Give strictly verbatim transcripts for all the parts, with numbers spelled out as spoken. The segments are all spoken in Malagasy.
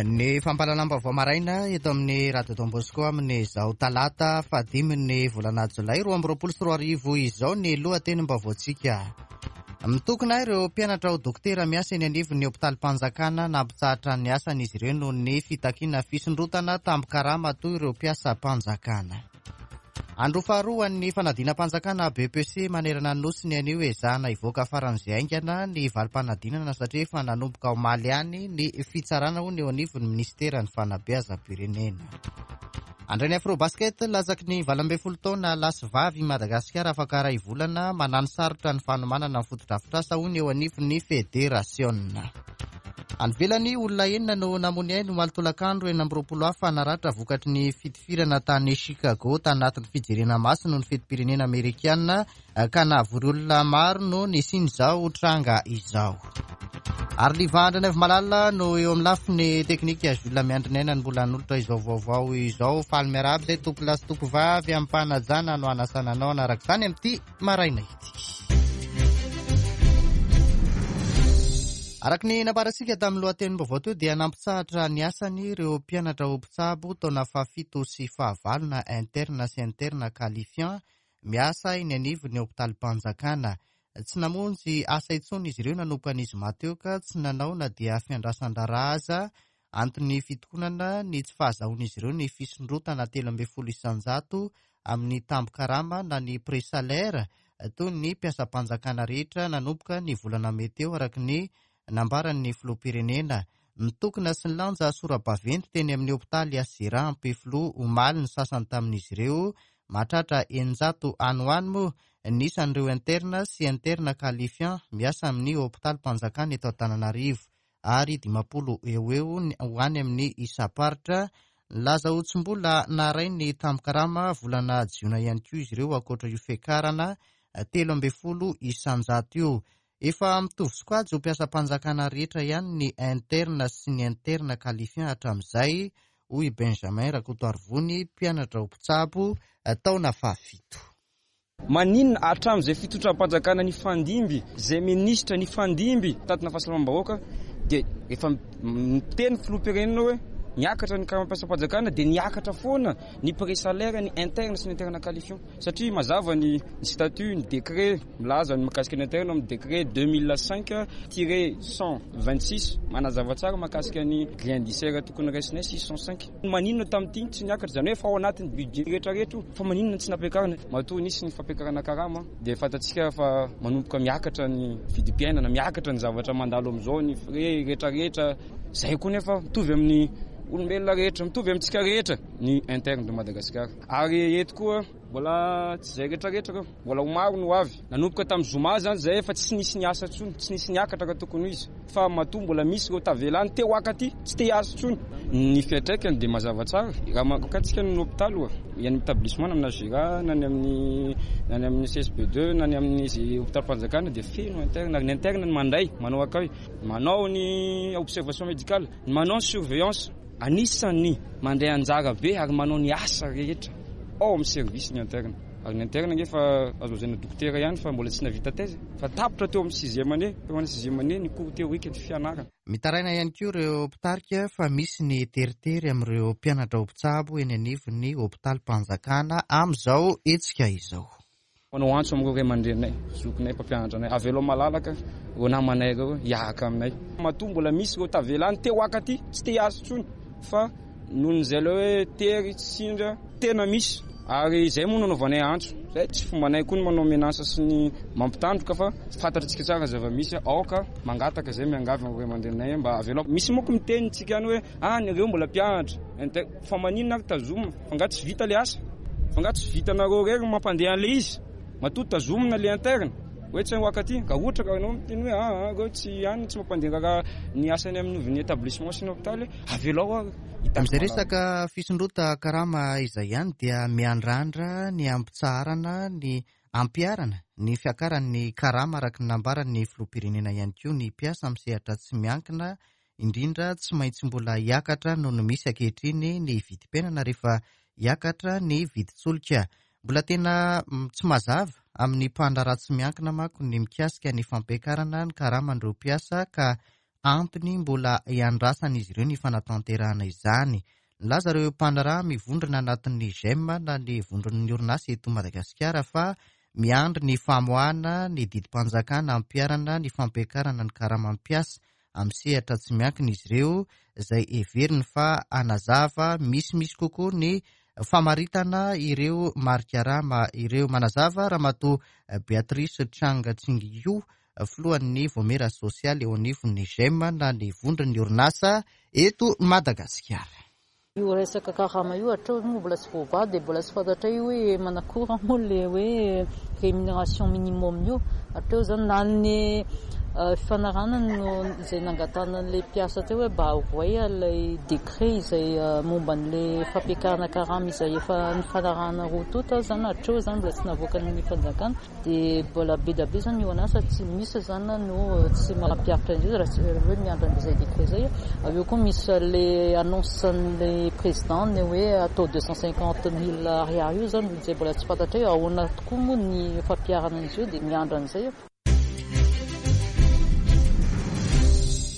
Ny fampahalalam-baovao maraina eto amin'ny Radio Don Bosco amin'izao talata fahadimy ny volana jolay roa amby roapolo sy roa arivo izao ny lohatenim-baovaontsika. Mitokona ireo mpianatra ho dokotera miasa eny anivon'ny hopitalim-panjakana. Nampitsahatra ny asany izy ireo noho ny fitakiana fisondrotana tambin-karama toy ireo mpiasam-panjakana. Andro faharoa ny fanadinam-panjakana B E P C manerana ny nosy ny anio. Ezahana hivoaka faran'izay haingana ny valim-panadinana satria efa nanomboka omaly ihany ny fitsarana ho ny eo anivon'ny ministeran'ny fanabeazam-pirenena. Andray ny Afrobasket latsaky ny valo ambin'ny folo taona lahy sy vavy Madagasikara afaka iray volana. Manano sarotra ny fanomanana ny fotodrafitrasa ho ny eo anivon'ny federasiona. Any ivelany, olona enina no namoy ainy omaly tolakandro, enina amby roapolo hafa naratra vokatry ny fitifirana tany Chicago tanatin'ny fijerena maso noho ny fetim-pirenena amerikana ka nahavory olona maro no nisian'izao tranga izao. Ary livandra ny avy malala no eo amin'ny lafiny teknika. Jules Miandry ny aina ny mbola hanolotra izao vaovao izao. Faly miarahaba izay tompo lahy sy tompo vavy amim-panajana no anasana anao anaraka izany amin'ity maraina ity. Araka ny nambarantsika tamin'ny lohatenim-baovao teo dia nampitsahatra ny asany ireo mpianatra ho mpitsabo taona fahafito sy fahavalo na interne sy interne qualifiant miasa eny anivon'ny hopitalim-panjakana. Tsy namonjy asa intsony izy ireo nanomboka ny zoma teo ka tsy nanao na dia fiandrasan-draharaha aza. Antony fitokonana ny tsy fahazahoan'izy ireo ny fisondrotana telo ambin'ny folo isanjato amin'ny tambin-karama na ny présalaire toy ny mpiasam-panjakana rehetra nanomboka ny volana mey teo, araka ny nambaran'ny filoham-pirenena. Nitokona sy nilanja sora-baventy teny amin'ny hopitaly HJRA Ampefiloha omaly ny sasany tamin'izy ireo. Mahatratra eninjato any ho any moa ny isan'ireo interne sy interne qualifiant miasa amin'ny hopitalim-panjakana eto Antananarivo ary dimampolo eo eo ho any amin'ny isam-paritra. Nilaza ho tsy mbola naharay ny tambin-karama volana jiona ihany koa izy ireo ankoatra io fiakarana telo ambin'ny folo isanjato io. Efa mitovy sokajy ho mpiasam-panjakana rehetra ihany ny interne sy ny interne qualifiant hatramin'izay, hoy Benjamin Rakotoarivony, mpianatra ho mpitsabo taona fahafito. Maninona hatramin'izay fitondram-panjakana ny fandimby zay minisitra ny fandimby tatina fahasalamam-bahoaka dia efa miteny filoham-pirenena hoe niakatra ny karamam-piasam-panjakana dia niakatra foana ny présalaire ny interne sy ny interne qualifiant? Satria mazava ny statut, ny décret milaza ny mahakasika ny interne amin'ny décret deux mille cinq tiret cent vingt-six, manazava tsara mahakasika ny grille indiciaire tokony raisinay six cent cinq. Maninona tamin'ity tsy niakatra? Zany hoe fa ao anatin'ny budget rehetrarehetra io, fa maninona tsy nampiakarina? Matoa nisy ny fampiakarana karama dia fantatsika fa manomboka miakatra ny vidim-piainana, miakatra ny zavatra mandalo am'izao, ny frais rehetrarehetra zay koa, nefa mitovy amin'ny olombelona rehetra, mitovy amintsika rehetra ny interne de Madagasikara. Ary eto koa mbola tsy zay rehetrarehetra reo, mbola ho maro no avy. Nanomboka tamin'ny zoma zany zay efa tsy nisy ny asa intsony, tsy nisy niakatra ka tokony ho izy, fa matoa mbola misy reo tavelany teo akaty tsy te hiasa intsony. Ny fiantraikany dia mazava tsara raha makatsika ny hôpitaly oa any établissement na amin'ny H J R A na ny amin'ny na ny amin'ny C S B deux na ny amin'ny zay hôpitaly fanjakana dia feno interne. Ary ny interne ny mandray, manao accueil, manao ny observation médicale, manao ny surveillance, anisan'ny mandray anjara be ary manao ny asa rehetra ao amin'ny service ny interne. Ary ny interne ngefa azo lazaina dokotera ihany fa mbola tsy navita thèse, fa tapitra teo amin'ny sixième année, teo sixième année ny cours théorique ny fianarana. Mitaraina ihany koa ireo mpitarika fa misy ny teritery amin'ireo mpianatra ho mpitsabo eny anivon'ny hopitalim-panjakana amin'izao hetsika izao. Manao antso amin'ireo ray aman-dreninay, zokinay, mpampianatra anay: avelao malalaka ireo namanay reo hiaraka aminay. Matoa mbola misy ireo tavelany teo akaty tsy te hiasa intsony, fa nohon'izay le hoe tery tsy sindra tena misy. Ary zay moa nanaovanay antso zay. Tsy fombanay koa ny manao menace sy ny mampitandroka, fa fantatritsika tsara zava-misy. Aoka mangataka zay, miangavy amin'ireo ray aman-dreninay mba avelao. Misy moko miteny tsika any hoe ah, nareo mbola mpianatra, fa maninona ary tazomina? Fa nga tsy vita le asa? Fa nga tsy vitanareo rery mampandeha an'le izy? Matoa tazomina le interne hoe tsy hoakaty ka ohatra ka anao miteny hoe ah, reo tsy any tsy mampandeha raha ny asany amin'ny établissement sy ny hôpitaly, avelao ary. Amin'izay resaka fisondrota karama izay ihany dia miandrandra ny ampitsaharana ny ampiharana ny fiakaran'ny karama araka ny nambaran'ny filoham-pirenena ihany koa ny mpiasa amin'ny sehatra tsy miankina indrindra. Tsy maintsy mbola hiakatra noho ny misy ankehitriny ny vidim-piainana rehefa hiakatra ny vidin-tsolika. Mbola tena tsy mazava amin'ny mpandraharaha tsy miankina manko ny mikasika ny fampiakarana ny karaman'ireo mpiasa ka Antony mbola iandrasan'izy ireo ny fanatanterahana izany. Nilaza ireo mpandraharaha mivondrona anatin'ny G E M na ny vondron'ny orinasa eto Madagasikara fa miandry ny famoahana ny didim-panjakana ampiharana ny fampiakarana ny karamam-piasa amin'ny sehatra tsy miankina izy ireo, izay heveriny fa hanazava misimisy kokoa ny famaritana ireo mari-karama ireo. Manazava Ramatoa Beatrice Chang Tsingio, filohan'ny vaomiera sosialy eo anivon'ny G E M na ny vondron'ny orinasa eto Madagasikara. Io resaka karama io hatreo moa mbola tsy voavaha, dia mbola tsy fantatra io hoe manakory moa le hoe rémunération minimum io hatreo zany. Na ny fifanarahana no izay nangatahana an'le mpiasa teo hoe mba avoay ilay décret izay momba an'le fampiakarana karama izay efa nifanarahana roa tonta zany, hatreo zany mbola tsy navoaka ny fanjakana. Dia mbola be dia be zany ny orinasa tsy misy zany no tsy mampiharitra an'izy raha tsy hoe miandry an'izay décret zay. Avy eo koa misy le annonce an'le président ny hoe atao deux cent cinquante mille ariary io zany, izay mbola tsy fantatra hoe ahoana tokoa moa ny fampiharana an'izy io, dia miandry an'izay.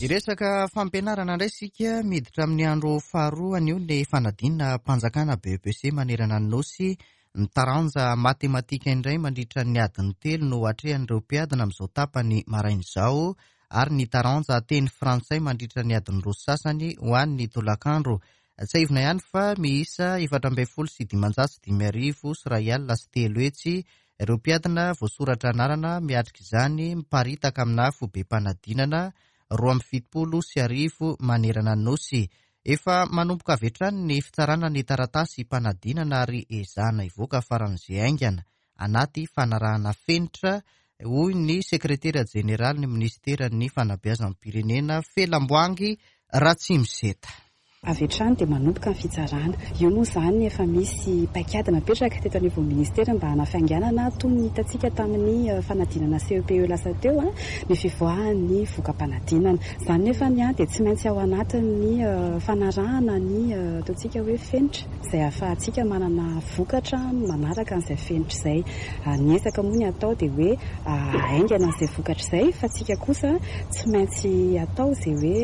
Iresaka fampianarana indray sika. Miditra amin'ny andro faharoa anio ny fanadinam-panjakana B E P C manerana ny nosy. Ny taranja matematika indray mandritra ny adiny telo no atrehan'ireo mpiadina amin'izao tapany maraina izao, ary ny taranja teny frantsay mandritra ny adiny roa sasany ho an'ny tolakandro. Tsiahivina ihany fa miisa efatra ambin'ny folo sy dimanjato sy dimy arivo sy iray alina sy telo hetsy ireo mpiadina voasoratra anarana miatrika izany, miparitaka amina foibem-panadinana roa amby fitopolo sy arivo manerana ny nosy. Efa manomboka avy hatrany ny fitsarana ny taratasy mpanadinana ary ezahana hivoaka faran'izay haingana anaty fanarahana fenitra, hoy ny sekretera jeneraly ny ministeran'ny fanabeazam-pirenena, Felamboangy Ratsimiseta. Avy hatrany dia manomboka ny fitsarana io moa izany. Efa misy paikady napetraka teto anivon'ny ministera mba hanafainganana, toy ny hitantsika tamin'ny fanadinana C E P E lasa teo a ny fivoahan'ny voka-panadinana izany. Nefa ny a dia tsy maintsy ao anatin'ny fanarahana ny ataontsika hoe fenitra izay ahafahantsika manana vokatra manaraka an'izay fenitra izay. Ny ezaka moa ny atao dia hoe haingana an'izay vokatra izay, fa tsika kosa tsy maintsy atao izay hoe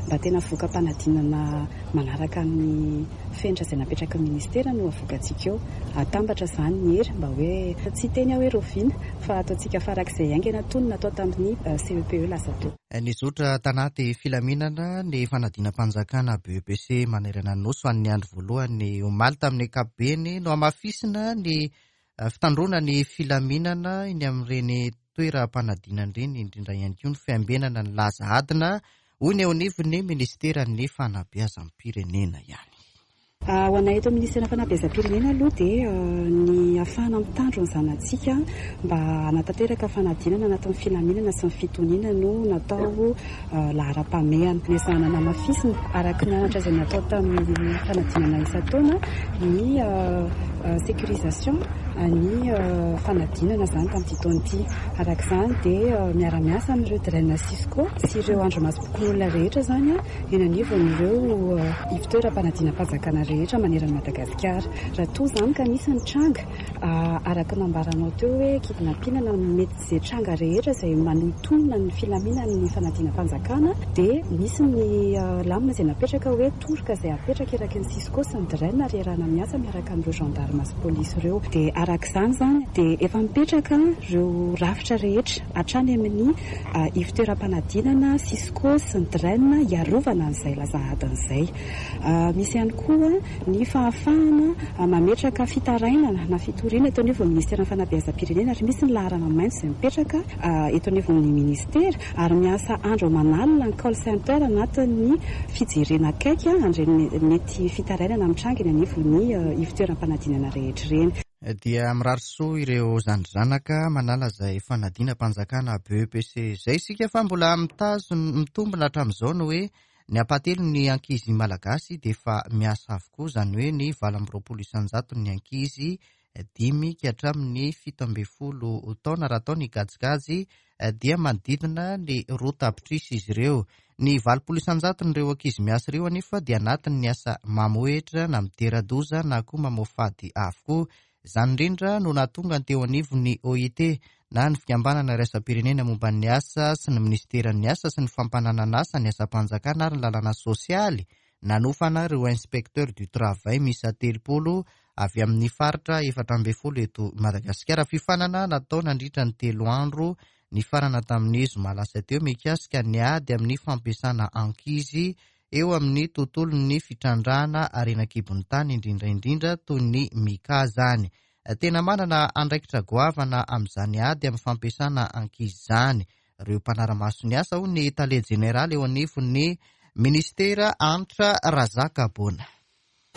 mba tena voka-panadinana manaraka ny fenitra izay napetraka ny ministera no avoakantsika eo. Atambatra izany ny hery mba hoe tsy teny aho hoe rahoviana, fa ataontsika farak'izay haingana toy ny natao tamin'ny C E P E lasa teo. Nizotra tanaty filaminana ny fanadinam-panjakana B E P C manerana ny nosy ny andro voalohany omaly. Tamin'ny ankapobeny no hamafisina ny fitandroana ny filaminana iny amin'ireny toeram-panadinana ireny, indrindra ihany koa ny fiambenana ny laza adina, hoy ny eo anivon'ny ministeran'ny fanabeazam-pirenena ihany. Ho anay eto ministeran'ny fanabeazam-pirenena aloha dia ny ahafahana mitandro ny zanatsika mba hanatanteraka fanadinana anatin'ny filaminana sy ny fitoniana no natao laharam-pahamehana. Nezahana namafisina araka ny anatra izay natao tamin'ny fanadinana isan-taona ny sécurisation ny fanadinana izany tamin'ity taona ity. Araka izany dia miara-miasa amin'ireo DREN, Cisco sy ireo andrimasom-pokonolona rehetra izany eny anivon'ireo ivontoeram-panadinam-panjakana rehetra manerana Madagasikara. Raha toa izany ka nisy ny tranga araka nambaranao teo hoe kidnapping na mety izay tranga rehetra izay manohintohina ny filaminan'ny fanadinam-panjakana, dia misy ny lamina izay napetraka hoe toroka izay apetraka eraky ny Cisco sy ny DREN ary iarahana miasa miaraka amin'ireo gendarme sy polisy ireo. Dia araka izany izany dia efa mipetraka ireo rafitra rehetra hatrany amin'ny ivontoeram-panadinana, Cisco sy ny DREN, hiarovana an'izay laza adin'izay. Misy ihany koa ny fahafahana mametraka fitarainana na fitoriana eto anivon'ny ministeran'ny fanabeazam-pirenena, ary misy ny laharana maitso izay mipetraka eto anivon'ny ministera, ary miasa andro aman'alina ny call center anatin'ny fijerena akaiky an'ireny mety fitarainana mitranga eny anivon'ny ivontoeram-panadinana rehetra ireny. Dia mirary soa ireo zandry manala izay fanadinam-panjakana B E P C izay isika, fa mbola mitazona mitombina hatramin'izao no hoe ny ampahatelony ny ankizy malagasy dia efa miasa avokoa, izany hoe ny valo amby roapolo isan-jato ny ankizy dimy ka hatramin'ny fito ambin'ny folo taona. Raha atao ny kajikajy dia manodidina ny roa tapitrisa izy ireo. Ny valopolo isan-jatony ireo ankizy miasa ireo anefa dia anatin'ny asa mamohehitra na mitera-doza na koa mamoafady avokoa. Izany indrindra no nahatonga ny teo anivon'ny O I T na ny fikambanana iraisam-pirenena momba ny asa sy ny minisiteran'ny asa sy ny fampananana asa, ny asam-panjakana ary ny lalàna sosialy. Nanofana ireo inspecteur du travail miisa telopolo avy amin'ny faritra efatra ambin'ny folo eto Madagasikara. Fiofanana natao nandritra ny telo andro nifarana tamin'ny zoma lasa teo mikasika ny ady amin'ny fampiasana ankizy eo amin'ny tontolon'ny fitrandrahana harena an-kibon'ny tany, indrindra indrindra toy ny mica zany. Tena manana andraikitra goavana amin'izany ady amin'ny fampiasana ankizy izany ireo mpanara-maso ny asa, hoy ny tale jeneraly eo anivon'ny ministera, Antra Razakabona.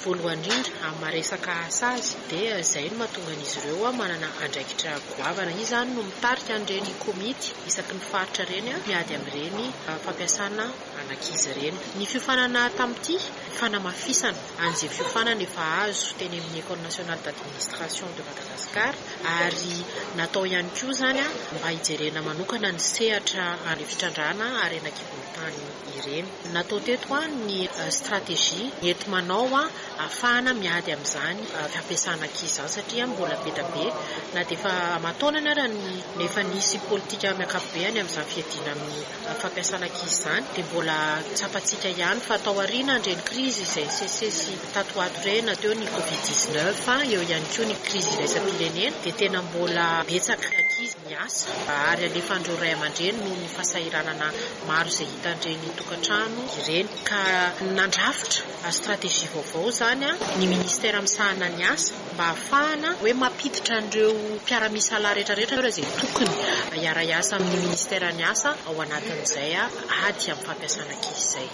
Voalohany indrindra, amin'ny maha-resaka asa azy, dia izay no mahatonga an'izy ireo manana andraikitra goavana. Izy izany no mitarika an'ireny komity isaky ny faritra ireny miady amin'ireny fampiasana an'ankizy ireny. Ny fiofanana tamin'ity, fanamafisana an'izay fiofanana efa azo teny amin'ny École nationale d'administration de Madagascar, ary natao ihany koa izany mba hijerena manokana ny sehatra ary fitrandrahana harena an-kibon'ny tany ireny. Natao teto ny stratégie enti-manao ahafahana miady amin'izany fampiasana ankizy izany, satria mbola be dia be na dia efa aman-taonany ara ny efa nisy politika amin'ny ankapobeny amin'izany fiadiana amin'ny fampiasana ankizy izany, dia mbola tsapantsika ihany fa tao aoriana ireny krizy izay nisesisesy tato ho ato ireny, na teo ny covid dix-neuf, eo ihany koa ny krizy iraisam-pirenena, dia tena mbola betsaka ankizy miasa ary alefan'ireo ray aman-dreny noho ny fahasahiranana maro izay hitan'ireny tokantrano ireny. Ka nandrafitra stratégie vaovao izany ny ministera misahana ny asa mba ahafahana hoe mampiditra an'ireo mpiara-misalahy rehetrarehetra izay tokony hiara-hiasa amin'ny ministera ny asa ao anatin'izay ady amin'ny fampiasana ankizy izay.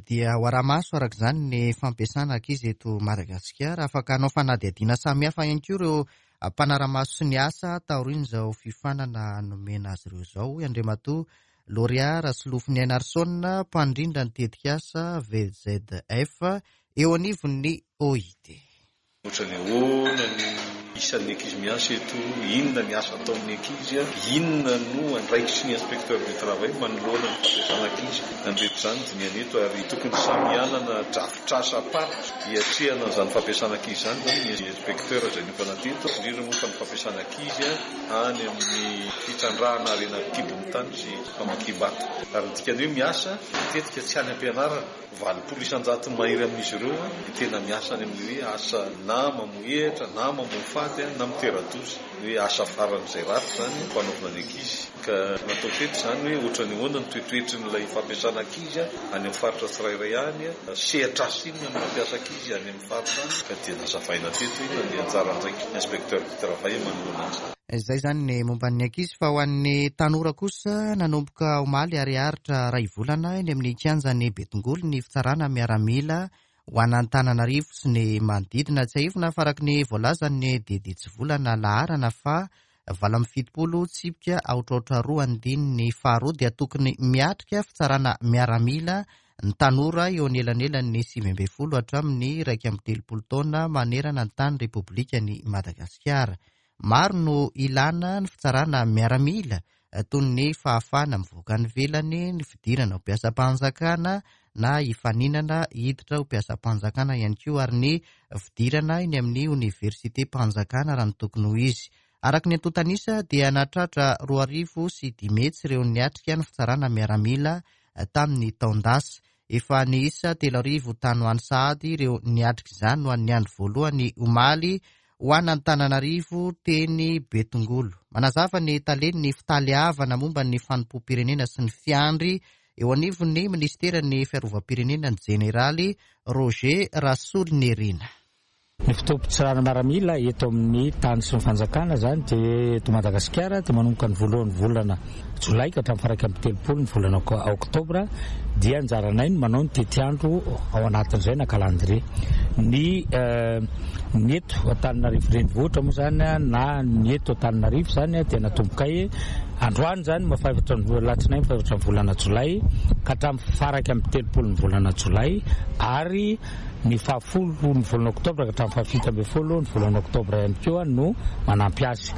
Dia ho ara-maso araka izany ny fampiasana ankizy eto Madagasikara. Afaka hanao fanadihadiana samihafa ihany koa ireo mpanara-maso sy ny asa taorian'izao fiofanana nomena azy ireo izao, hoy Andriamatoa Lauréat Rasolofoniaina Arson, mpandrindra ny tetikasa V Z F eo anivon'ny O I T. Ohatrany ahoana ny isan'ny ankizy miasa eto, inona ny asa ataon'ny ankizy, inona no andraikitry ny inspecteur du travail manoloana ny fampiasana ankizy. Nandreto izany dinihana eto, ary tokony samy hanana drafitrasam-paritra hiatrehana an'izany fampiasana ankizy izany zany ny inspecteur izay niofana teto, indrindra moa fa ny fampiasana ankizy any amin'ny fitrandrahana harena an-kibon'ny tany sy famakiam-bato. Ary ny dikany hoe miasa matetika tsy any am-pianarana, valopolo isan-jato mahery amin'izy ireo ny tena miasa any amin'ny hoe asa na mamohehatra na mamoafady na mitera-doza, hoe asa faran'izay ratsy zany fanaovana ny ankizy. Ka natao teto zany hoe ohatrany ahoana ny toetoetrin'ilay fampiasana ankizy any amin'ny faritra tsirairay any, sehatr'asa inona no mampiasa ankizy any amin'ny faritra any, ka dia nazavaina teto inona ny anjara andraikitry ny inspecteur du travail manoloana an'izany. Izay zany ny momba ny ankizy, fa ho an'ny tanora kosa, nanomboka omaly ary haharitra iray volana eny amin'ny kianjan'ny Betongolo ny fitsarana miaramila ho an'Antananarivo sy ny manodidina. Tsiahivina fa araka ny voalazan'ny didy hitsivolana laharana fa valo amby fitopolo tsipika aotra aotra roa andininy faharoa dia tokony miatrika fitsarana miaramila ny tanora eo anelanelan'ny sivy ambin'ny folo hatramin'ny iraika amby telopolo taona manerana ny tany Repoblikan'i Madagasikara. Maro no ilana ny fitsarana miaramila, toy ny fahafahana mivoaka any ivelany, ny fidirana ho mpiasam-panjakana na hifaninana hiditra ho mpiasam-panjakana ihany koa, ary ny fidirana eny amin'ny oniversitem-panjakana raha ny tokony ho izy. Araka ny antontanisa dia nahatratra roa arivo sy dimy hetsy ireo niatrika ny fitsarana miaramila tamin'ny taon-dasa. Efa niisa telo arivo tany ho any sahady ireo niatrika izany no an'ny andro voalohany omaly ho an'Antananarivo teny Betongolo. Manazava ny talen'ny fitaleavana momba ny fanompoam-pirenena sy ny fiandry eo anivon'ny ministeran'ny fiarovam-pirenena, ny jeneraly Roger Rasolonirina. Ny fotoam-pitsarana miaramila eto amin'ny tany sy ny fanjakana zany dia eto Madagasikara dia manomboka ny voalohany volana jolay ka hatramin'ny faha-iraika amby telopolo ny volana oktobra. Dia anjaranay ny manao ny tetiandro ao anatin'izay na calendrier. Ny ny eto Antananarivo renivohitra moa zany na ny eto Antananarivo zany dia natombokay androany zany mahafaefatra ny latsinainy faefatra ny volana jolay ka hatramin'ny faha-iraika amby telopolo ny volana jolay, ary ny fahafolo ny volana oktobra ka hatramin'ny fahafito ambin'ny folo ny volana oktobra ihany koa no manampy azy.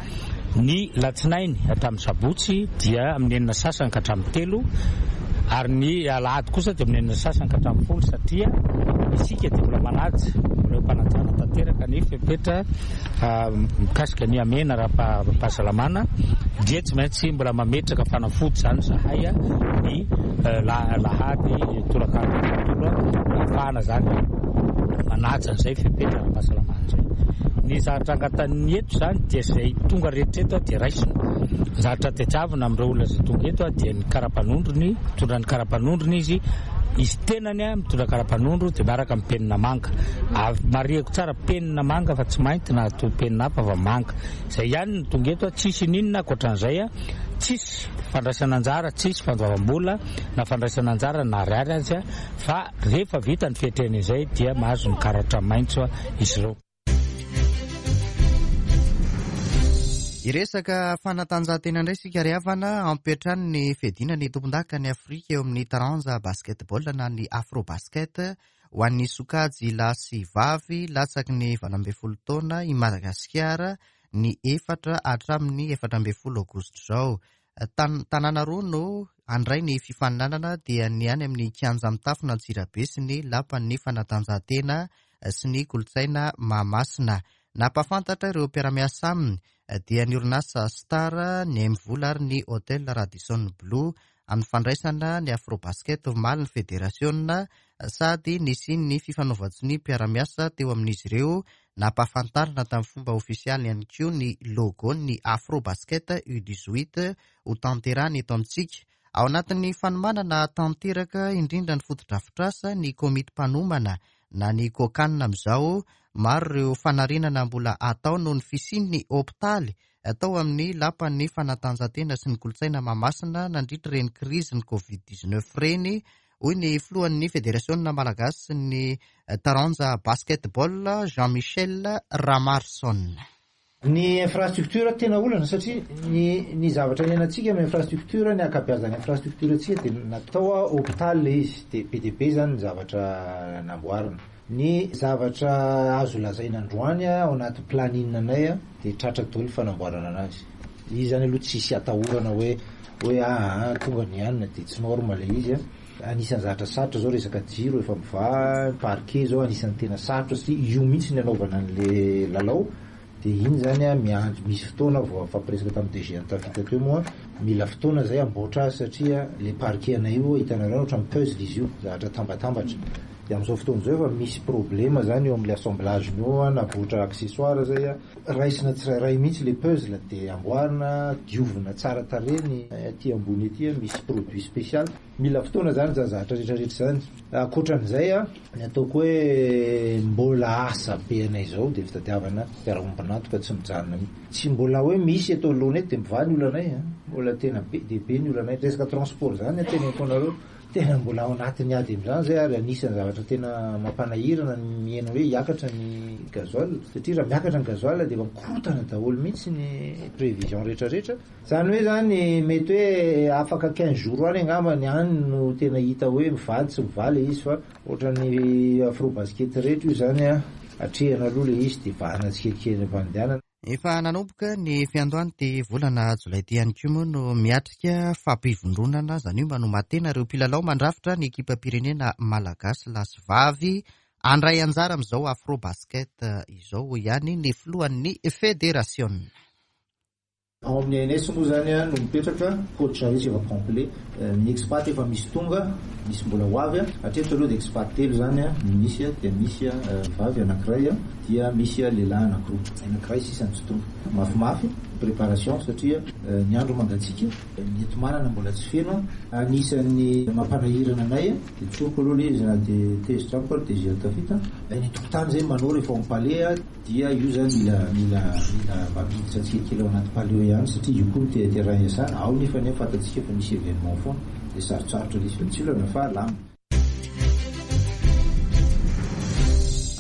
Ny latsinainy hatramin'ny sabotsy dia amin'ny enina sasany ka hatramin'ny telo, ary ny alahady kosa dia amin'ny enina sasany ka hatramin'ny folo, satria Isika dia mbola manaja, mbola eo am-panajana tanteraka ny fepetra mikasika ny amena ara-pahasalamana, dia tsy maintsy mbola mametraka fanafody zany zahay ny lahady tolakandro tontolo ahafahana zany manaja an'izay fepetra ara-pahasalamana izay. Ny zavatra angatan'ny eto zany dia izay tonga rehetra eto dia raisina. Ny zavatra tadiavina amin'ireo olona izay tonga eto dia ny karapanondrony, mitondra ny karapanondrony izy, izy tenany a mitondra karapanondro dia miaraka amin'ny penina manga. Marihako tsara penina manga fa tsy mainty na to penina hafa fa manga. Izay ihany no tonga eto, tsisy n'inona ankoatran'izay, tsisy fandraisana anjara, tsisy fandoavam-bola na fandraisana anjara na ariary azy, fa rehefa vita ny fiatrehana izay dia mahazo ny karatra maitso izy ireo. Hiresaka fanatanjahantena indray isika ry havana, ampiantrano ny fiadiana ny tompon-daka ny Afrika eo amin'ny taranja basketball na ny afrobasket ho an'ny sokajy lahy sy vavy latsaky ny valo ambin'ny folo taona i Madagasikara ny efatra hatramin'ny efatra ambin'ny folo aogositra izao. Tanàna roa no handray ny fifaninanana dia ny any amin'ny kianja mitafona Antsirabe sy ny lapan'ny fanatanjahantena sy ny kolontsaina Mahamasina. Nampahafantatra ireo mpiara-miasa aminy dia ny orinasa Star, ny MVola ary ny Hotel Radisson Blue amin'ny fandraisana ny afrobasket omaly ny federasiona sady nisian'ny fifanaovan-tsonia mpiara-miasa teo amin'izy ireo. Nampahafantarina tamin'ny fomba ofisialy ihany koa ny logo ny afrobasket U dix-huit ho tanterahana eto amintsika. Ao anatin'ny fanomanana tanteraka indrindra ny fotodrafitrasa ny komity mpanomana na ny kokanina amin'izao. Maro ireo fanarenana mbola atao noho ny fisian'ny hopitaly atao amin'ny lapan'ny fanatanjahantena sy ny kolontsaina Mahamasina nandritra ireny krizy ny covid dix-neuf ireny, hoy ny filohan'ny federasiona malagasy ny taranja basketball Jean-Michel Ramarson. Ny infrastructure tena olana satria ny ny zavatra iainantsika amin'ny infrastructure, ny ankabeazan'ny infrastructure antsika dia natao hôpitaly ilay izy, dia be dia be zany ny zavatra namboarina. Ny zavatra azo lazaina androany ao anaty planning anay dia tratra daholo ny fanamboarana anazy. Izy zany aloha tsisy atahorana hoe hoe ah tonga ny hanina dia tsy normal ilay izy. Anisan'ny zavatra sarotra zao resaka jiro efa mivaha, parquet zao anisan'ny tena sarotra satria io mihitsy ny anaovana an'le lalao. Dia iny zany a miandry misy fotoana vao fampiresaka tamin'ny D G Antafita teo moa, mila fotoana zay amboatra azy satria le parquet anay io hitanareo ohatran'ny puzzle izy io, zavatra tambatambatra. Dia amin'izao fotoana izao efa misy problema zany eo amin'le assemblage io, namboatra accessoire zay a, raisina tsirairay mihitsy le puzzle dia amboarina, diovina tsara tarehy ny aty ambony aty misy produit spécial. Mila fotoana zany zany zavatra rehetrarehetra zany. Ankoatran'izay a, ny ataoko hoe mbola asa be anay izao dia fitadiavana mpiara-ombon'antoka tsy mijanona mihitsy. Tsy mbola hoe misy eto anoloana eto dia mivaha ny olanay a, mbola tena be dia be ny olanay. Resaka transport zany teneniko anareo, tena mbola ao anatin'ny ady amin'izany zay, ary anisan'ny zavatra tena mampanahirana ny mihena hoe hiakatra ny gasoil, satria raha miakatra ny gasoil dia efa mikorotana daholo mihitsy ny prévision rehetrarehetra. Zany hoe zany mety hoe afaka quinze jours any angamba ny any no tena hita hoe mivaly tsy mivaly izy, fa ohatran'ny afrobasket rehetra io zany a, atrehana aloha ilay izy dia vahana tsikelikely am-pandehanana. Efa nanomboka ny fiandohan'ity volana jolay ity ihany koa moa no miatrika fampivondronana, izany hoe manomatena ireo mpilalao mandrafitra ny ekipam-pirenena malagasy lahy sy vavy handray anjara amin'izao afrobasket izao, hoy ihany ny filohan'ny federasiona. Ao amin'ny A N S moa zany no mipetraka, coach rehetra efa complet, ny expat efa misy tonga, misy mbola ho avy. Hatreto aloha dia expat telo zany no misy, dia misy vavy anankiray, dia misy lehilahy anankiroa, anankiray sisa no tsy tonga. Mafimafy préparation satria ny andro mangatsiaka, ny enti-manana mbola tsy feno. Anisan'ny mampanahirana anay dia tsoriko aloha ilay izy na dia tezitra amiko ary D G Antafita, ny tokontany zay manao rehefa ao amin'ny palais dia io zany mila mila mila mba miditra tsikelikely ao anaty palais ihany satria io koa no te-, terrain iasana ao, nefa nefa fantatsika fa misy événement foana dia sarotsarotra ilay izy, fa tsy olana fa lamina.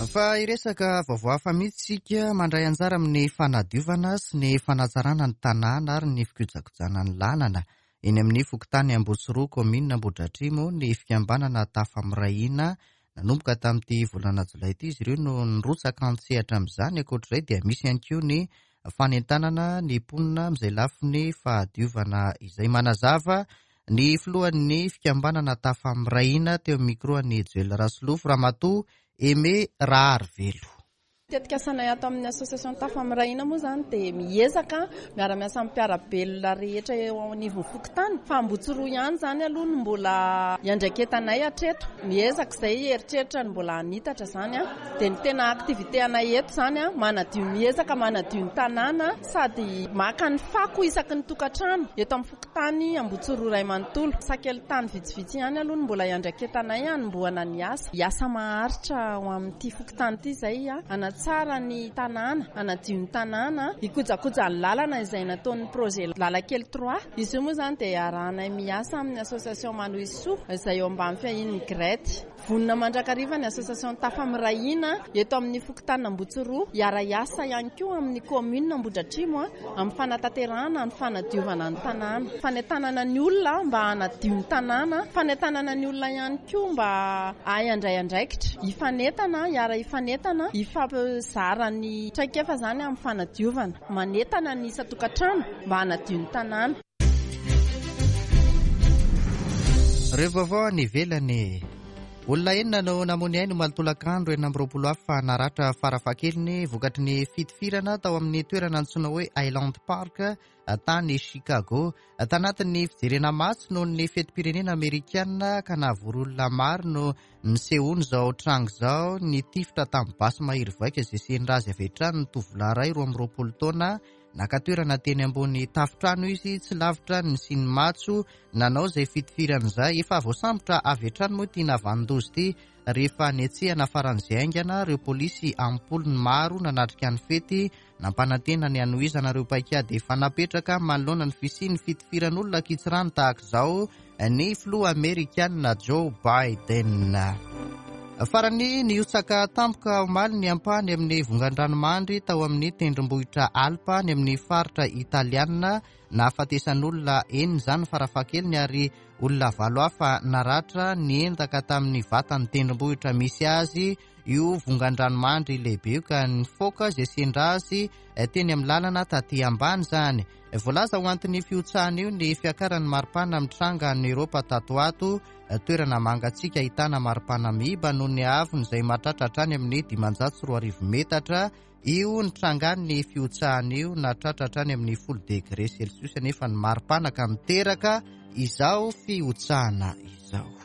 Fa hiresaka vaovao hafa mihitsy isika, mandray anjara amin'ny fanadiovana sy ny fanatsarana ny tanàna ary ny fikojakojana ny lalana eny amin'ny fokontany Ambotsiroa, kaominina Ambohidratrimo, ny fikambanana Tafamirahiana. Nanomboka tamin'ity volana jolay ity izy ireo no nirotsaka an-tsehatra amin'izany. Ankoatr'izay dia misy ihany koa ny fanentanana ny mponina amin'izay lafiny fahadiovana izay. Manazava Ny filohan'ny fikambanana Tafamiray Hina teo amin'ny micro an'i Joel Rasolofo, Ramatoa Aimé Raharivelo. Tetikasanay ato amin'ny association Tafamiray Hina moa zany dia miezaka miara-miasa amin'ny mpiara-belona rehetra eo anivon'ny fokontany, fa Ambotsiroa ihany zany aloha no mbola iandraiketanay hatreto. Miezaka izay eritreritra ny mbola hanitatra zany a dia ny tena activité anay eto zany a manadio, miezaka manadio ny tanàna sady maka ny fako isaky ny tokantrano eto amin'ny fokontany Ambotsiroa iray manontolo. Sakely tany vitsivitsy ihany aloha no mbola iandraiketanay hanombohana ny asa. Hiasa maharitra ho amin'ity fokontany ity izay a hanatsara ny tanàna, hanadio ny tanàna, hikojakoja ny lalana izay nataon'ny projet Lalakely trois. Izy io moa zany dia arahanay miasa amin'ny association Manohisoa izay eo ambany fiahian'ny GRET. Vonona mandrakariva ny association Tafamiray Hina eto amin'ny fokontany Ambotsiroa hiara-hiasa ihany koa amin'ny commune Ambohidratrimo amin'ny fanatanterahana ny fanadiovana ny tanàna, fanentanana ny olona mba hanadio ny tanàna, fanentanana ny olona ihany koa mba hahay handray andraikitra, hifanentana, hiara-hifanentana, hifampizara ny traikefa zany amin'ny fanadiovana, manentana ny isan-tokantrano mba hanadio ny tanàna. Ireo vaovao any ivelany. Olona enina no namoy aina omaly tolakandro, enina amby roapolo hafa naratra farafahakeliny vokatry ny fitifirana tao amin'ny toerana antsoina hoe Highland Park tany Chicago. Tanatin'ny fijerena matso noho ny fetim-pirenena amerikana ka nahavory olona maro no nisehoany izao tranga izao. Nitifitra tamin'ny basy mahery vaika izay sendra azy avy hatrany ny tovolahy iray roa amby roapolo taona. Naka toerana teny ambony tafontrano izy tsy lavitra ny nisian'ny matso nanao izay fitifirana izay. Efa voasambotra avy hatrany moa ity nahavanon-doza ity rehefa netsehana faran'izay haingana ireo polisy am-polony maro nanatrika ny fety. Nampanantena ny hanohizana ireo paikady efa napetraka manoloana ny fisian'ny fitifiran'olona ankitsirano tahaka izao ny filoha amerikana Joe Biden. Farany, nihotsaka tampoka omaly ny ampahany amin'ny vongan-dranomandry tao amin'ny tendrombohitra Alpa any amin'ny faritra italiana. Nahafatesan'olona enina izany farafahakeliny ary olona valo hafa naratra. Niendaka tamin'ny vatan'ny tendrombohitra misy azy io vongan-dranomandry lehibe io ka nifoka izay sendra azy teny amin'ny lalana taty ambany izany. Voalaza ho anton'ny fihotsahana io ny fiakaran'ny maripana mitranga any Eropa tato ato, toerana mangatsiaka ahitana maripana miiba noho ny haavony izay mahatratra hatrany amin'ny dimanjato sy roa arivo metatra. Io nitrangan'ny fihotsahana io nahatratra hatrany amin'ny folo degré celsius nefa ny maripana ka miteraka izao fihotsahana izao.